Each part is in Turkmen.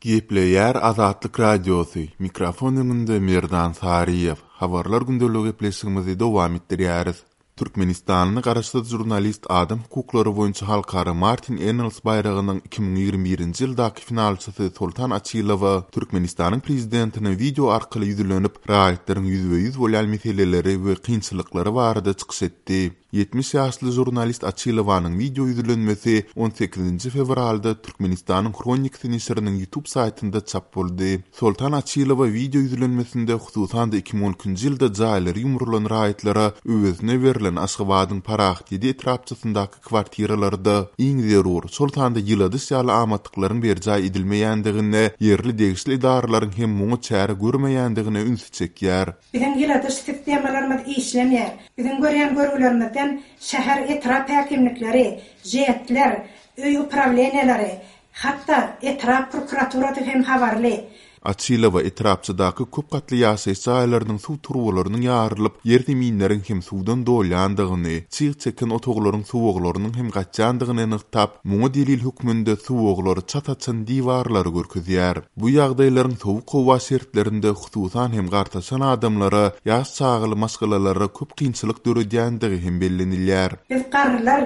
Gepleýär Azatlyk Radiosy, mikrofon öňünde Merdan Saryýew. Habarlar gündeligi gepleşigimizi dowam etdirýäris. Türkmenistanly garaşsyz žurnalist adam hukuklary boýunça halkara Martin Ennals baýragynyň 2021-nji ýyldaky finalçysy Soltan Açylowa Türkmenistanyň prezidentine wideo arkaly ýüzlenip, raýatlaryň ýüzbe-ýüz bolýan meseleleri we kynçylyklary barada çykyş etdi. 70 ýaşly žurnalist Açylowanyň wideo ýüzlenmesi on sekizinji fewralda Türkmenistanyň Hronikasy neşiriniň YouTube saýtynda çap boldy. Soltan Açylowa wideo ýüzlenmesinde hususan-da 2012-nji ýylda jaýlary ýumrulan raýatlara öwezine berlen Aşgabadyň Parahat ýedi etrapçasyndaky kwartiralarda iň zerur, şol sanda ýyladyş ýaly amatlyklaryň berjaý edilmeýändigine, ýerli degişli edaralaryň hem muňa çäre görmeýändigine ünsi çekýär. Biziň ýyladyş sistemalarymyz işlemeýär. Biziň görýän görgülerimizden şäher, etrap häkimlikleri, ŽED-ler, öý uprawleniýaleri, hatda etrap prokuraturasy hem habarly. Açylowa etrapçadaky köp gatly ýaşaýyş jaýlarynyň suw turbalarynyň ýarylyp, ýerzeminleriň hem suwdan dolýandygyny, çyg çeken otaglaryň suwaglarynyň hem gaçýandygyny nygtap, muňa delil hökmünde suwaglary çat açan diwarlary görkezýär. Bu ýagdaýlaryň sowuk howa şertlerinde hususan hem gartaşan adamlara, ýaş çagaly maşgalalara köp kynçylyk döredýändigi hem bellenilýär. Biz garrylar,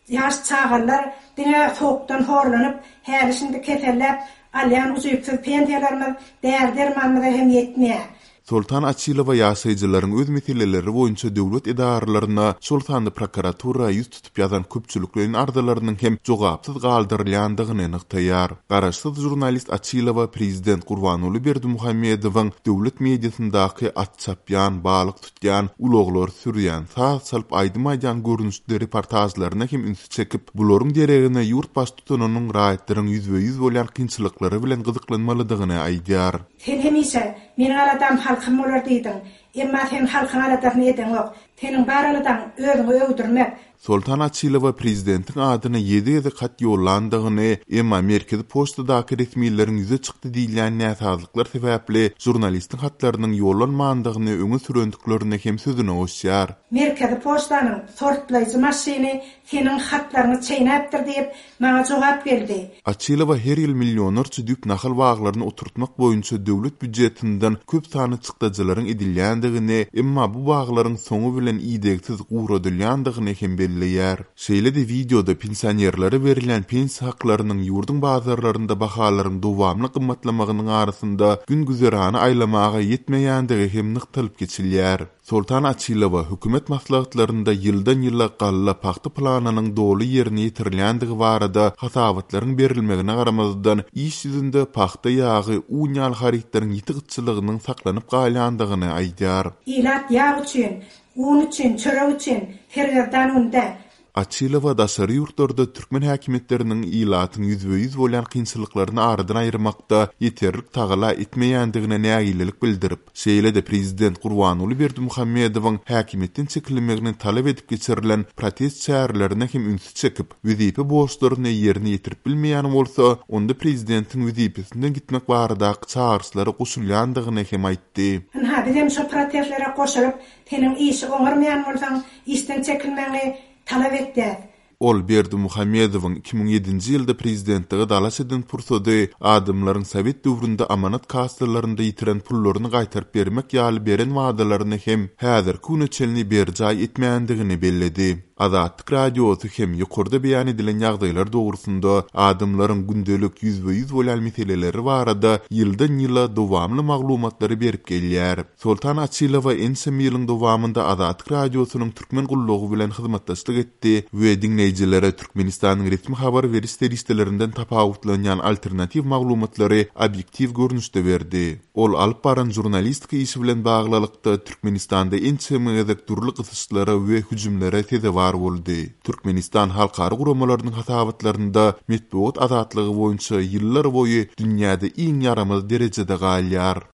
ýaş çagalylar diňe sowukdan horlanyp, häli-şindi keselläp, alýan ujypsyz pensiýalarymyz däri-dermanymyza hem ýetmeýär. Soltan Açylowa ýaşaýjylaryň öz meseleleri boýunça döwlet edaralaryna, şol sanda prokuratura ýüz tutup ýazan köpçülikleýin arzalarynyň hem jogapsyz galdyrylýandygyny nygtaýar. Garaşsyz žurnalist Açylowa prezident Gurbanguly Berdimuhamedowyň döwlet mediasyndaky at çapýan, balyk tutýan, ulaglar sürýän, saz çalyp aýdym aýdýan görnüşli reportažlaryna hem ünsi çekip, bularyň deregine ýurt baştutanynyň raýatlaryň ýüzbe-ýüz bolýan kynçylyklary bilen gyzyklanmalydygyny aýdýar. Sen hemişe, Meniň aladam halkym bolar diýdiň. Emma sen halkyň aladasyny edeňok. Seniň bar aladaň özüňi öwdürmek. Soltan Açylowa prezidentiň adyna ýedi gezek hat ýollandygyny, emma merkezi poçtadaky resmileriň ýüze çykdy diýilýän näsazlyklar sebäpli žurnalistiň hatlarynyň ýollanmandygyny öňe sürendiklerini hem sözüne goşýar. Merkezi poçtanyň sortlaýjy maşyny seniň hatlaryňy çeýnäpdir diýip, maňa jogap geldi. Açylowa her ýyl millionlarça düýp nahal baglaryny oturtmak boýunça döwlet býujetinden köp sanly çykdajylaryň edilýändigini, emma bu baglaryň soňy bilen idegsiz guradylýandygyny hem belleýär. Şeýle-de wideoda pensionerlere berilýän pensiýa haklarynyň ýurduň bazarlarynda bahalaryň dowamly gymmatlamagynyň arasynda gün-güzerany aýlamaga ýetmeýändigi hem nygtalyp geçilýär. Soltan Açylowa hökümet maslahatlarynda ýyldan-ýyla galla, pagta planynyň doly ýerine ýetirilýändigi barada hasabatlaryň berilmegine garamazdan, iş ýüzünde pagta ýagy, un ýaly harytlaryň ýiti gytçylygynyň saklanyp galýandygyny aýdýar. Ilat ýag üçin, un üçin, çörek üçin sergezdan günde. Açylowa daşary ýurtlarda türkmen häkimiýetleriniň ilatyň ýüzbe-ýüz bolýan kynçylyklaryny aradan aýyrmakda ýeterlik tagalla etmeýändigine nägilelik bildirip, şeýle-de prezident Gurbanguly Berdimuhamedowyň häkimiýetden çekilmegini talap edip geçirilen protest çärelerine hem ünsi çekip, wezipe borçlaryny ýerine ýetirip bilmeýän bolsa, onda prezidentiň wezipesinden gitmek baradaky çagyryşlara goşulýandygyny hem aýtdy. Ynha, bizem şo protestlere goşulyp, Seniň işi oňarmaýan bolsaň, işden çekilmegiňi talap etýäs. Ol Berdimuhamedowyň 2007-nji ýylda prezidentlige dalaş eden pursady adamlaryň sowet döwründe amanat kassalarynda ýitiren pullaryny gaýtaryp bermek ýaly beren wadalaryny hem häzirki güne çenli berjaý etmändigini belledi. Azatlyk Radiosy hem ýokarda beýan edilen ýagdaýlar dogrusynda adamlaryň gündelik ýüzbe-ýüz bolýan meseleleri barada ýyldan-ýyla dowamly maglumatlary berip gelýär. Soltan Açylowa ençeme ýylyň dowamynda Azatlyk Radiosynyň Türkmen gullugy bilen hyzmatdaşlyk etdi we diňleýjilere Türkmenistanyň resmi habar beriş serişdelerinden tapawutlanýan alternatiw maglumatlary obýektiw görnüşde berdi. Ol alyp baran žurnalistika işi bilen baglylykda Türkmenistanda ençeme gezek dürli gysyşlara we hüjümlere sezewar boldy. Türkmenistan halkara guramalarynyň hasabatlarynda metbugat azatlygy boýunça ýyllar boýy dünýäde iň ýaramaz derejede galýar.